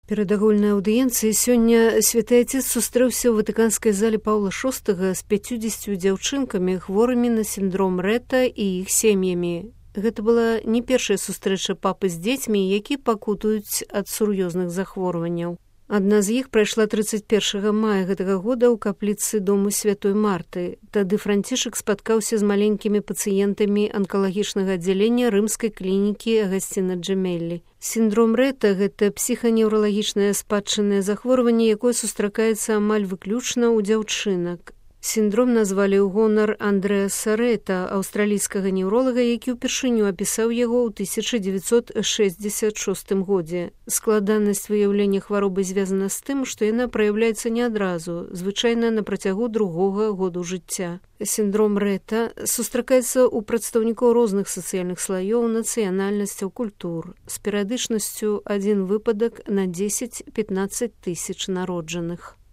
Перад агульнай аўдыенцыяй сёння святы Отец сустрэўся ў ватыканскай зале Паўла VI з 50 дзяўчынкамі, хворымі на сіндром Ретта і іх сем'ямі. Гэта была не першая сустрэча папы з дзецьмі, які пакутуюць ад сур'ёзных захворванняў. Адна з іх прайшла 31 мая гэтага года ў капліцы дому святой Марты. Тады Францішак спаткаўся з маленькімі пацыентамі анкалагічнага аддзялення рымскай клінікі Агасціна Джемеллі. Сіндром Ретта – гэта псіханеўралагічнае спадчыннае захворванне, якое сустракаецца амаль выключна ў дзяўчынак. Сіндром назвалі ў гонар Андрэаса Ретта, аўстралійскага неўролага, які ўпершыню апісаў яго ў 1966 годзе. Складанасць выяўлення хваробы звязана з тым, што яна праяўляецца не адразу, звычайна на працягу другога году жыцця. Сіндром Ретта сустракаецца ў прадстаўнікоў розных сацыяльных слаёў, нацыянальнасцяў, культур, з перыядычнасцю 1 выпадак на 10-15 тысяч народжаных.